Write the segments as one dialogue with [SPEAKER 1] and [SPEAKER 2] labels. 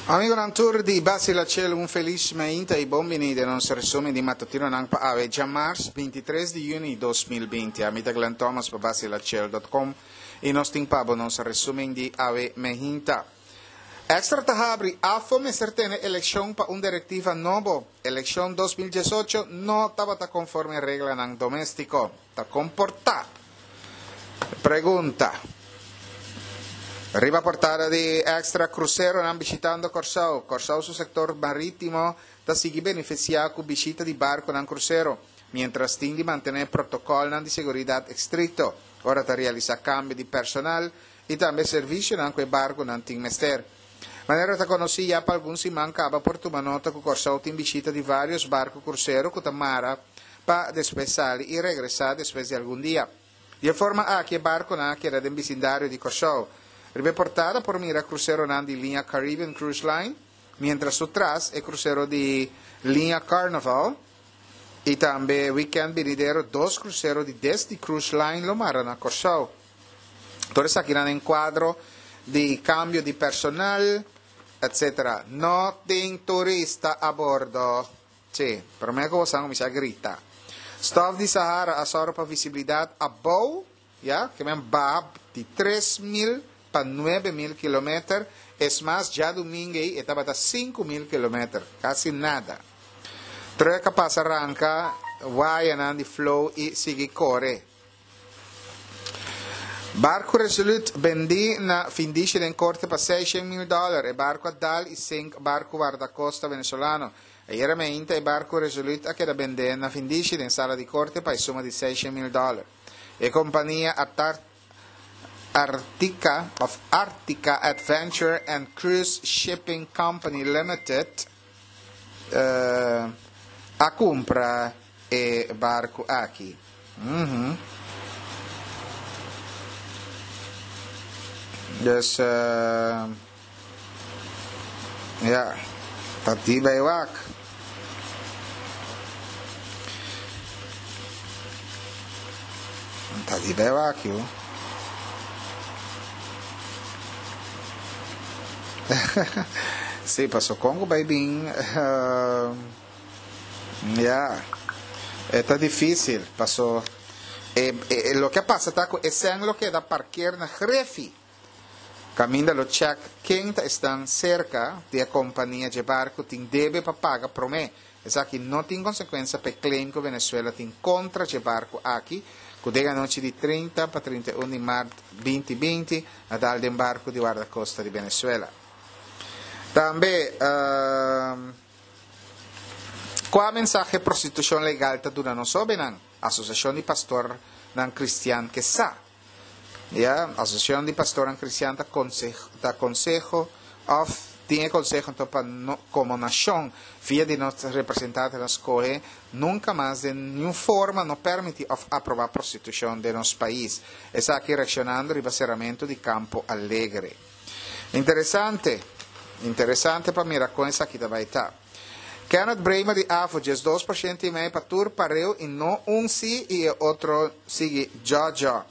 [SPEAKER 1] Amigonan tur di Basila Chel un felis mainta y bon bini den nos resumen di matutinonan pa awe djamars 23 di juni 2020. Ami ta Glenn Thomas pa basilachel.com y nos tin pa bo nos resumen di awe mehinta. Extra ta habri, AFO mester tene elekshon pa un direktiva nobo. Elekshon 2018 no tabata konforme reglanan doméstiko. Ta komportá. Pregunta. Riba portada di Extra kruseronan bishitando Kòrsou. Kòrsou su sektor marítimo ta sigui benefisiá ku bishita di barkunan krusero, miéntras tin di mantené protokòlnan di seguridat estrikto ora ta realisá kambio di personal i tambe servisionan ku e barkunan tin mester. Manera ta konosí ya pa algun siman kaba por tuma nota ku Kòrsou tin bishita di vários barku krusero ku ta mara pa despues sali i regresá despues di algun dia. Di e forma aki e barkunan a keda den bisindario di Kòrsou. Riba e portada por mira kruseronan di liña Caribbean Cruise Line, miéntras su tras e krusero di liña Carnival i tambe wikènt binidero dos krusero di Disney Cruise Line lo mara na Kòrsou. Tur esakinan den kuadro di kambio di personal, etsetera. No tin turista a bordo. Sí, promé ku boso a kuminsá grita. Stòf di Sahara a sòru pa visibilidat abou, ya, ke men baha di 3000 pa 9000 kilometer, es mas djadumingu ei e tabata 5000 kilometer, kasi nada. Trùk a pasa ranka wayanan di flow i sigui kore. Barku Resolute bendí na findishi den korte pa seishen mil dòler. E barku a dal i sink barku wardakosta venezolano. Ayera meinta e barku Resolute a keda bendé na findishi den sala di korte pa e suma di seishen mil dòler. E kompania Artica of Artica Adventure and Cruise Shipping Company Limited a kumpra e barku aki. Mhm. Dus, uh, ja, ta di bij wak. Ta di bij wak, joh. Sí, paso con ku bai bin, uh, Ya, e ta difícil, paso e, e, loke a pasa ta ku e sèn lo keda parkeer na Grefi. Kaminda lo chèk ken ta esnan serka di e kompania dje barku tin debe pa paga promé. Esaki no tin konsekuensia pa e claim ku Venezuela tin kontra dje barku aki, ku den anochi di 30 pa 31 di mart 2020 a dal den barku di Wardakosta di Venezuela. Tambe, Kua mensahe prostitushon legal ta duna nos hóbennan? Asosiashon di Pastornan Kristian ke sa. Ya, Asosiashon di Pastornan Kristian ta ta konseho òf tin e konseho anto pa no komo nashon via di nos representantenan skohe nunka mas den niun forma no pèrmití òf aprobá prostitushon den nos pais. Esaki reakshonando riba seramentu di Campo Alegre. Interesante. Interesante pa mira kon esaki ta bai ta. Kenneth Bremer di AFO, 12% i mei pa tur pareu i no un si i e otro sigui djòdjò.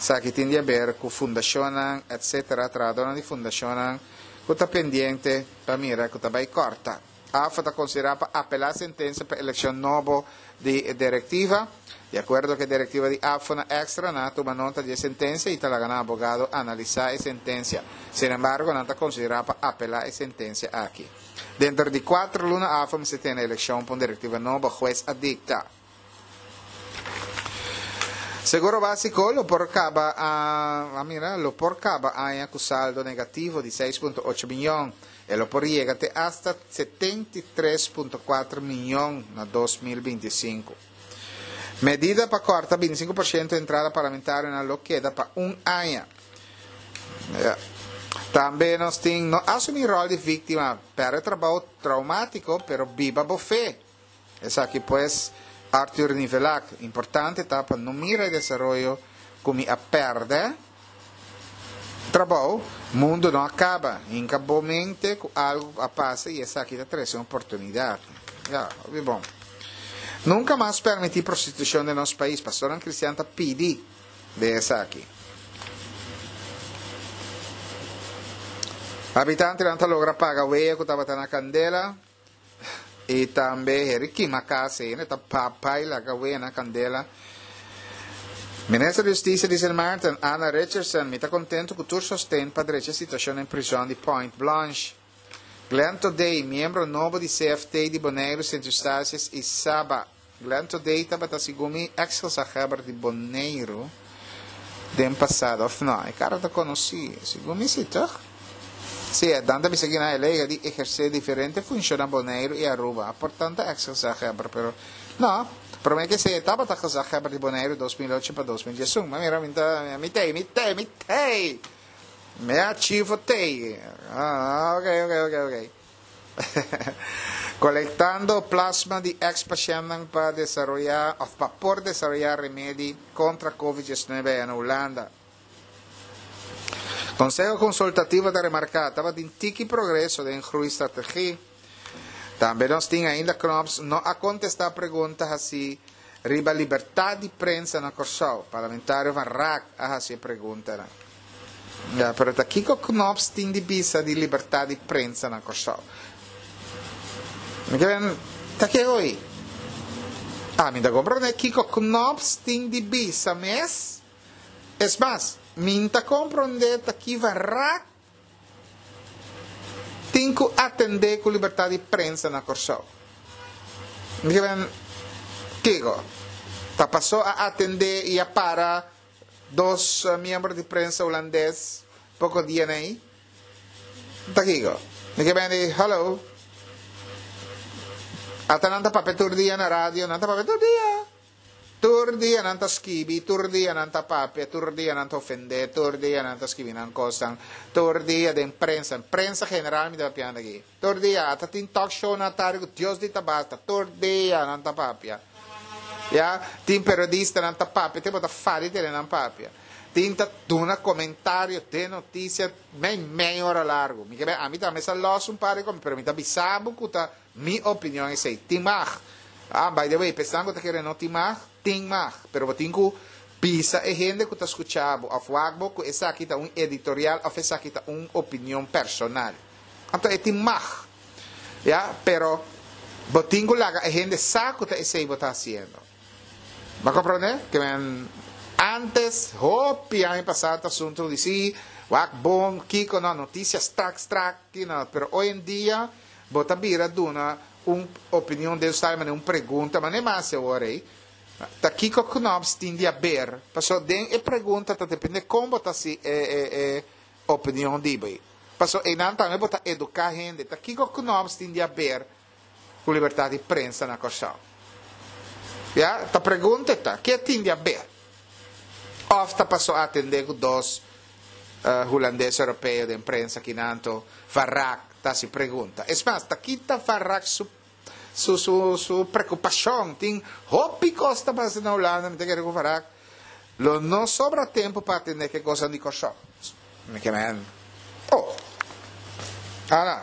[SPEAKER 1] Esaki tin di haber ku fundashonnan etc. Trahadónan di fundashonnan ku ta pendiente pa mira ku ta bai kòrta. AFA ta konsiderá pa apelá sentensia pa elekshon nobo di e direktiva. Di akuerdo ku e direktiva di AFO na Extra, nan a tuma nota di e sentensia i ta laga nan abogado analisá e sentensia. Sin embargo, nan ta konsiderá pa apelá e sentensia aki. Denter di kuater luna AFO mester tene elekshon pa un direktiva nobo, hues a dikta. Seguro Básiko lo por kaba a mira lo por kaba aña ku saldo negativo di 6.8 miyon. E lo por yega te asta 73.4 miyon na 2025. Medida pa kòrta 25% entrada parlamentarionan lo keda pa un aña. Ja. Tambe nos tin no asumí ròl di víktima, pèrdè trabou traumátiko, pero biba bo fe. Esaki pues, Arthur Nivelak, importante ta pa no mira e desaroyo ku mi a pèrdè trabou, mundu no a kaba, hinka bo mente ku algu a pasa i esaki ta trese un oportunidat. Ya, hopi bon. Nunka mas permití prostitushon den nos pais, pastornan kristian ta pidi den esaki. Habitantenan ta logra paga wea ku tabata na kandela i tambe heri kima kas ei ta papay laga wea na kandela. Minister di Hustisia di Sint Maarten, Anna Richardson, Mi ta kontentu ku tur sosten pa drecha situashon den prizòn di Point Blanche. Glenn Todey, miembro nobo di CFT di Boneiru, Sint Eustatius i Saba. Glenn Todey tabata segun mi ex gezaghebber di Boneiru den pasado, of no? E cara ta conoci, segun mi si, toch? Si, e dan ta bisa kina el a yega di eherce diferente funcion na Boneiru y Aruba, por tanto ex gezaghebber, pero no, prome ke esey e tabata gezaghebber di Boneiru 2008 pa 2011. Ma mira, mi ta, mi tey, mi tey, mi tey! Mi archivo tey! Ah, ok, ok, ok, ok. Kolektando plasma di eks pashèntnan pa desaroyá òf pa por desaroyá remedi kontra Covid diesnuebe aya na Hulanda. Konseho Konsultativo ta remarká tabatin tiki progreso den groeistrategie. Tambe nos tin ainda Knops no a kontestá pregunta hasí riba libertat di prensa na Kòrsou. Parlamentario Van Raak a hasi e preguntanan. Ya, pero ta kiko Knops tin di bisa di libertad di prensa na Kòrsou? Mi ke ben, ta ke hoy? Ah, mi ta komprondé kiko Knops tin di bisa mes. Es mas, mi n'ta komprondé ta ki Van Raak tin ku atendé ku libertad di prensa na Kòrsou. Mi ke ben, kiko? Ta pasó a atendé i a para Dos miembro di prensa hulandes poko dia nei ta kiko? Mi ke bende hallo. Ata nan ta papia tur dia na radio, nan ta papia tur dia. Tur dia nan ta skibi, tur dia nan ta papia, tur dia nan ta ofende, tur dia nan ta skibi nan kosnan, tur dia den prensa, prensa general mi ta papiando aki. Tur dia, ata tin talk show na tardi ku Dios di ta basta, tur dia nan ta papia. Ya, tin periodistanan ta papia, te bo ta fari tene nan papia. Tin ta duna komentario den notisia mei mei ora largu. Mi ke bai, ami tambe sa los un par di komi, pero mi ta bisa bo ku ta mi opinion esei. Tin mag. Ah, by the way, p'esnan ku ta kere no tin mag, tin mag. Pero bo tin ku bisa e hende ku ta skucha bo òf wak bo ku esaki ta un editorial òf esaki ta un opinion personal. Anto e tin mag. Ya, pero bo tin ku laga e hende sa ku ta esei bo ta hasiendo. Bo a komprondé? Ke men antes, hopi aña pasá ta asuntu di si, wak bon, kiko no, notisia strak strak, kino, pero hoy en dia bo ta bira duna un opinion den style manera un pregunta, manera mas e ora ei, ta kiko Knops tin di haber? Pasobra den e pregunta ta depende kon bo ta hasi e e e opinion di bo ei. Paso einan tambe bo ta eduká hende. Ta kiko Knops tin di haber ku libertat di prensa na Kòrsou? Ya, ta pregunta e ta, ke tin di haber? Òf ta paso atendé ku dos hulandes europeo den prensa kinan anto Van Raak ta hasi pregunta. Es mas, ta kita Van Raak su su su su preokupashon? Tin hopi kos ta pasa na Hulanda, mi ta kere ku Van Raak lo no sobra tempu pa atendé ku e kosnan di Kòrsou. Mi ke men oh Ana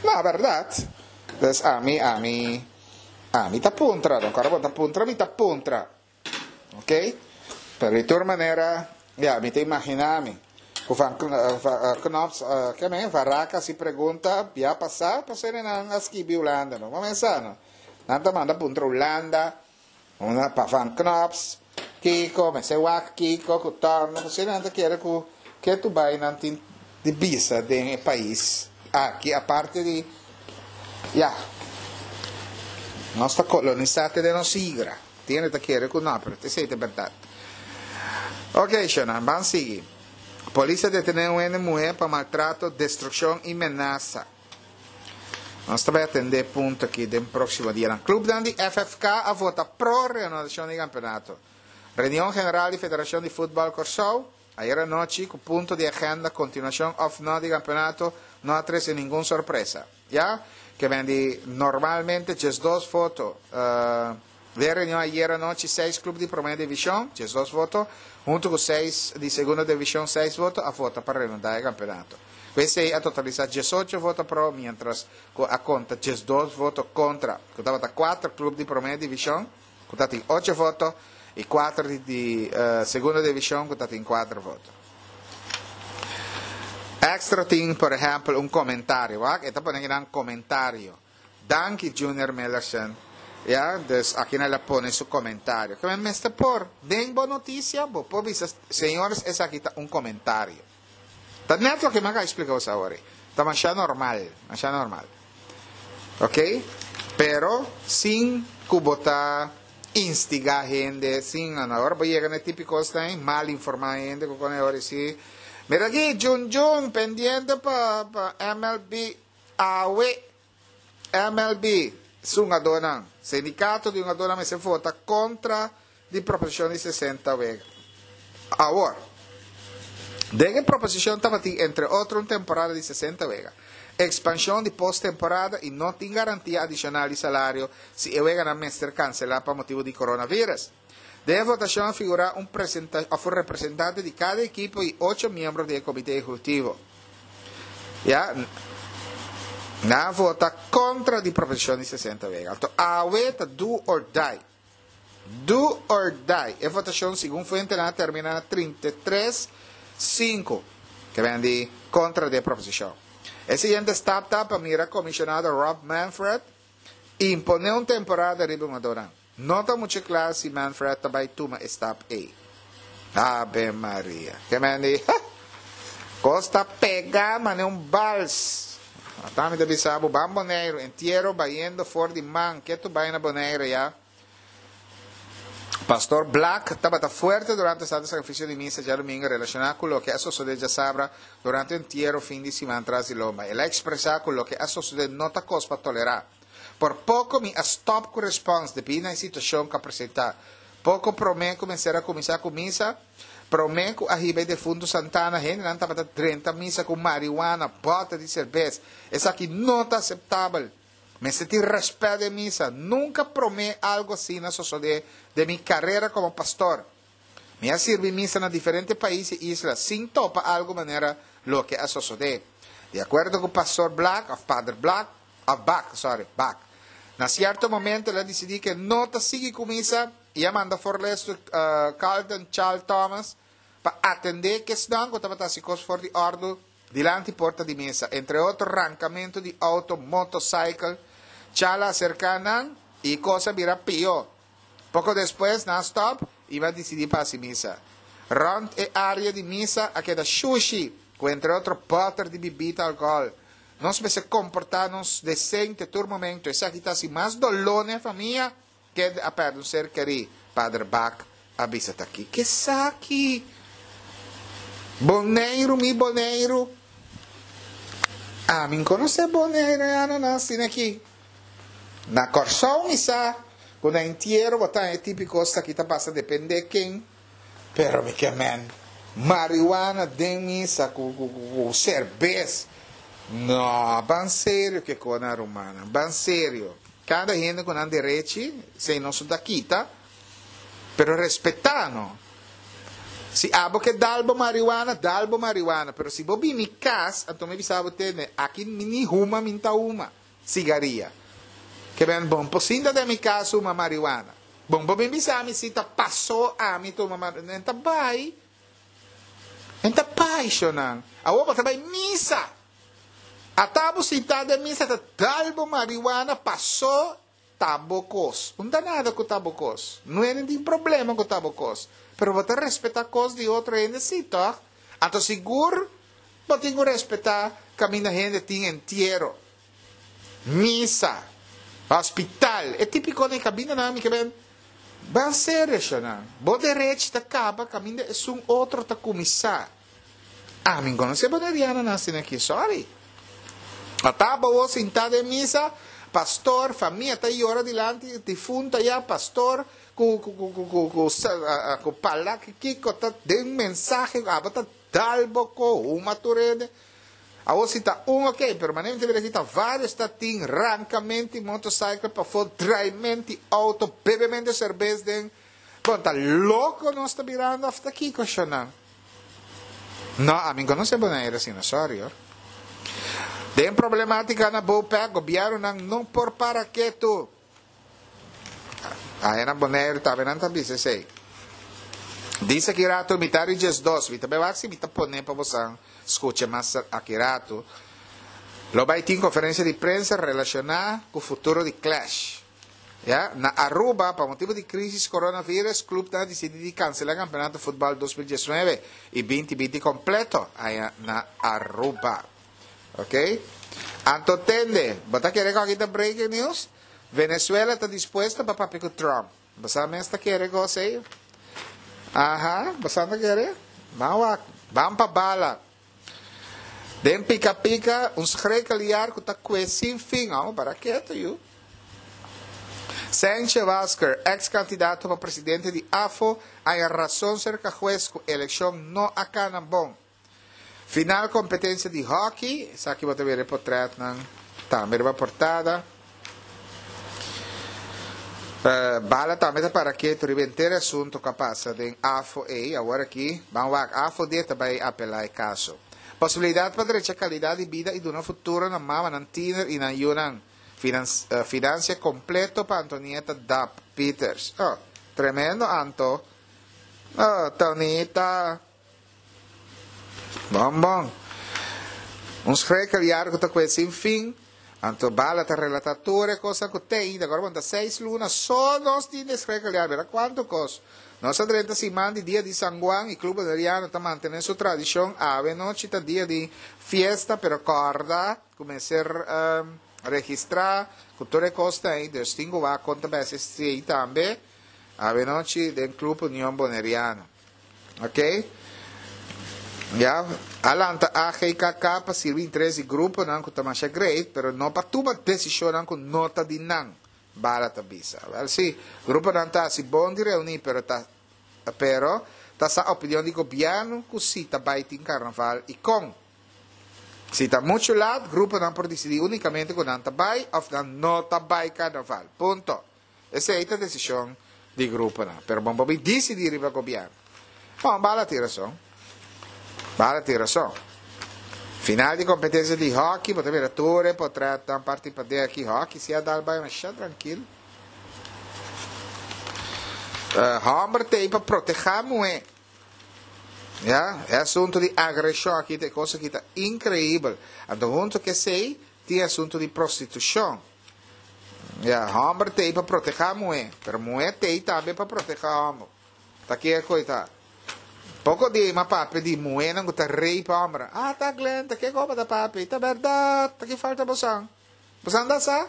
[SPEAKER 1] No bèrdat Des ami ami ami ta puntra no kòrda bo ta puntra mi ta puntra ok pero di tur manera ya mi ta imaginá mi ku van Knops ke men Van Raak hasi pregunta bia pasá pasobra nan a skibi Hulanda no bo mesa no nan ta manda puntra Hulanda Una pa Van Knops, Kiko, mester wak Kiko ku Torno, pasobra nan ta kere ku ketu bai nan tin di bisa den e pais aki aparte di ya nos ta kolonisa te den nos igra. Tin hende ta kere ku no, pero esei ta e bèrdat. Oke, shownan, ban sigui. Polis a detené un hende muhé pa maltrato, destrukshon i menasa. Nos ta bai atende e punto aki den proximo dianan. Clubnan di FFK a vota pro reanudacion di campeonato. Reunion general di Federacion di Futbal Corsou, ayer anochi cu punto di agenda continuacion of no di campeonato no a trece ningun sorpresa. Ya ke men di normalmente 12 voto. Den reunion ayer anochi seis club di prome division, 12 voto, hunto cu seis di segundo division, seis voto, a vota pa reanuda e campeonato. Cu esey a totalisa 18 voto pro, mientras cu a conta 12 voto contra, cu tabata cuatro club di prome division, cu ta tin ocho voto, y cuatro di segundo division cu ta tin cuatro voto. Extra tin, por ehèmpel, un komentario. Wak, e ta pone akinan komentario. Danki Junior Millerson. Ya, dus akinan el a pone su komentario. Ke men mester por, den bo notisia, bo por bisa, señores, esaki ta un komentario. Ta net loke mi a explica boso awor. Ta masha normal, masha normal. Ok? Pero sin cu bo ta instiga hende, sin, ora bo yega na e tipico esnan ey, mal informa hende cu con e ora si. Mira aki, Jun Jun, pendiente pa pa MLB awe. MLB, su hungadornan, sindicato di hungadornan mester vota contra di proposicion di 60 wega. Awor, den e proposicion tabatin entre otro un temporada di 60 wega, expansion di post-temporada y no tin garantia adicional di salario si e weganan mester cancela pa motibo di coronavirus. Den e votacion a figura un of un representante di cada ekipo y ocho miembro di e comite ejecutivo. Ya, nan a vota contra di proposicion di 60 wega. Anto awe ta do or die. Do or die. E votacion segun fuentenan a termina na 33, 5, ke ben di contra di e proposicion. E siguiente stap ta pa mira comisionado Rob Manfred impone un temporada riba e hungadornan. No ta mucho kla si Manfred ta bai tuma e stap ei. Ave Maria. Ke men di, ha! Kos ta pega mane un bals. Ata mi ta bisa bo, ban Boneiru, entiero bayendo for di man, ke tu bai na Bonaire ya? Pastor Black tabata fuerte durante Santo Sacrificio di Misa djadumingo relaciona cu loke a sosode djasabra durante entiero fin di siman tras di lomba. El a expresa cu loke a sosode no ta cos pa tolera. Por poko mi a stòp ku respòns debí na e situashon ku a presentá. Poko promé ku mester a kuminsá ku misa, promé ku a hiba e defuntu Santana, hendenan tabata drenta misa ku mariwana, bòter di serbes. Esaki no ta aseptabel. Mester tin rèspèt den misa. Nunka promé algu asina a sosodé den mi karera komo pastor. Mi a sirbi misa na diferente pais i isla sin topa algu manera loke a sosodé. Di akuerdo ku Pastor Black, òf Pader Black, òf Bak, sorry, Bak, na sierto momento el a disidí ku e no ta sigui ku misa i a manda forlestu Carlton Charles Thomas pa atendé kesnan ku tabata hasi kos for di òrdu dilanti porta di misa, entre otro rankamentu di outo, motosaikel. Charles a aserká nan i kos a bira pió. Poko despues nan a stòp i a disidí pa hasi misa. Rònt e área di misa a keda shushi ku entre otro bòter di bibida alkohòl. Nos mester komportá nos desente tur momento. Esaki ta hasi mas doló na e famia kende a pèrdè un ser kerí, Pader Bak a bisa. Ta kiko esaki? Boneiru, mi Boneiru! Ami konosé Boneiru e ananan asina aki. Na Kòrsou mi sa ku na entiero bo ta e típiko esaki ta pasa dependé ken, pero mi ke men marihuana den misa ku ku serbes no ban serio ke kona rumannan ban serio kada hende ku nan derechi esei nos no ta kita pero respetá no si abo ke dal bo marihuana dal bo marihuana pero si bo bini kas anto mi bisa bo tende aki mi ni huma mi ta huma. Sigaria. Ke ben bon por sinta den mi kas huma marihuana. Bon por bin bisa mi si ta paso ami tuma marihuana. En ta bai. En ta bai, shonnan. Awor bo ta bai misa. Ata bo sinta den misa ta dal bo marihuana paso ta bo kos. Un ta nada ku ta bo kos. No hende tin problema ku ta bo kos. Pero bo ta respeta kos di otro hende si, tòg? Anto sigur bo tin ku respeta kaminda hende tin entiero. Misa, hospital, e tipiko den kamindanan mi ke ben ban serio shonnan. Bo derechi ta kaba kaminda esun otro ta kuminsá. Ami no konosé bonerianonan asina aki, sorry. Ata bo sintá den misa, pastor, famia ta yora dilanti difunto ayá, pastor ku ku ku ku ku ku pala kiko ta den mensahe abo ta dal bo ko huma tur hende. Awor si ta un ok, pero manera mi ta mira aki ta varios ta tin rankamenti motorcycle pafó, draimenti auto, bebemento serbes den, bon ta loko nos ta birando of ta kiko shonnan? No, ami konosé Bonaire asina, sorry hoor. Den problematica na Bopec, gobiernonan no por para ketu. Aya na Boneiru tambe nan ta bisa esei. Dice aki rato mitar di 12, mi ta bai wak si mi ta pone pa bosan scucha mas aki rato. Lo bai tin conferencia di prensa relaciona cu futuro di Clash. Ya, na Aruba, pa motibo di crisis coronavirus, clubnan a dicidi di cancela campeonato futbal 2019 y 2020 completo aya na Aruba. Ok? Anto tende, bo ta kere cu aki ta breaking news? Venezuela ta dispuesto pa papia cu Trump. Bo sa mes ta kere cos ey? Aha, bo sa ta kere? Ban wak, ban pa bala. Den pika pika, un schrikkeljaar cu ta cue sin fin. Amo para keto yu. Sanchez Wasker, ex candidato pa presidente di AFO, haya razon cerca huez cu eleccion no a cana bon. Final competencia di hockey, esaki bo ta wera e potretnan tambe riba portada. Bala tambe ta para ketu riba henter e asunto cu a pasa den AFO ey. Awor aki ban wak AFO di e ta bay apela e caso. Posibilidad pa drecha calidad di bida y duna futuro na mamanan tiener y nan yunan. Financia completo pa Antonieta Dap Pieters. Oh, tremendo Anto. Oh, Tonita. Bon bon. Un schrikkeljaar cu ta cue sin fin. Anto Bala ta relata tur e cosnan cu te ainda. Agora bon ta seis luna so nos tin di schrikkeljaar. Mira cuanto cos. Nos a drenta siman di dia di San Juan y Club Boneriano ta mantene su tradicion. Awe nochi ta dia di fiesta pero corda cu mester registra cu tur e cosnan ey. Dus tin cu wak con ta besi esey tambe. Awe nochi den Club Union Boneriano. Ok. Ya, a lanta AGKK pa sirbi interes di gruponan ku ta masha great, pero no pa tuma desishonnan ku no ta di nan, Bala ta bisa. Wèl sí, gruponan ta hasi bon di reuní, pero ta pero ta sa opinion di gobièrnu ku si ta bai tin karnaval i kon. Si ta muchu lat, gruponan por disidí únikamente ku nan ta bai òf nan no ta bai karnaval. Punto. Esei ta desishon di gruponan, pero bon por bin disidí riba gobièrnu. Bon, Bala tin rason. Bala tin rason. Final di kompetensia di hòki, bo ta mira tur e potrètnan parti paden aki. Hòki si a dal bai masha trankil. Hòmber t'ei pa protehá muhé. Ya, e asuntu di agreshon aki ta e kos aki ta inkreibel. Anto huntu ku esei tin e asuntu di prostitushon. Ya, hòmber t'ei pa protehá muhé, pero muhé t'ei tambe pa protehá hòmber. Ta ke koe ta? Poko di ei m'a papia di muhénan ku ta rape hòmbernan. Ah, ta Glen, ta ke koe bo ta papia? Ta bèrdat, ta ki falta bosan? Bosan ta sa?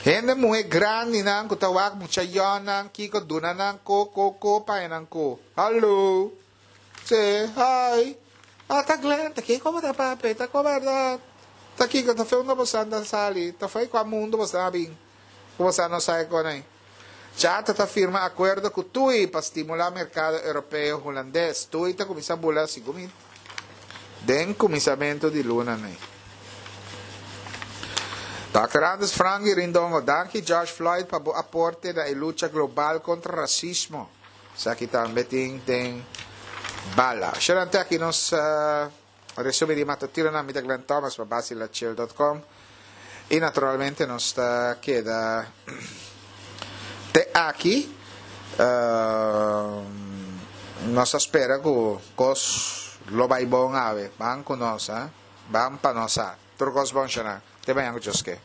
[SPEAKER 1] Hende muhé grandinan ku ta wak mucha yònnan, kiko duna nan ko, ko, ko, paña nan ko. Hallo! Sí, hi. Ah, ta Glen, ta kiko bo ta papia? Ta ko bèrdat? Ta kiko? Ta fe unda bosan ta sali? Ta fo'i kua mundu bosan a bin ku bosan no sa e kon ei? Chata ta firma akuerdo ku Tui pa stimulá merkado europeo hulandes. Tui ta kuminsá bula segun mi den kuminsamentu di luna nei. Dòkter Anders Frangie Rindongo, danki George Floyd pa bo aporte na e lucha global kontra rasismo. Esaki tambe tin den bala. Sherante aki nos resumen di matutinonan. Mi ta Glenn Thomas pa basilachil.com. Y naturalmente nos ta keda te aki. Nos ta spera cu cos lo bay bon awe. Ban cu nos, ha? Ban pa nos sa. Tur cos bon, Shana. Te mañan cu Dios ke.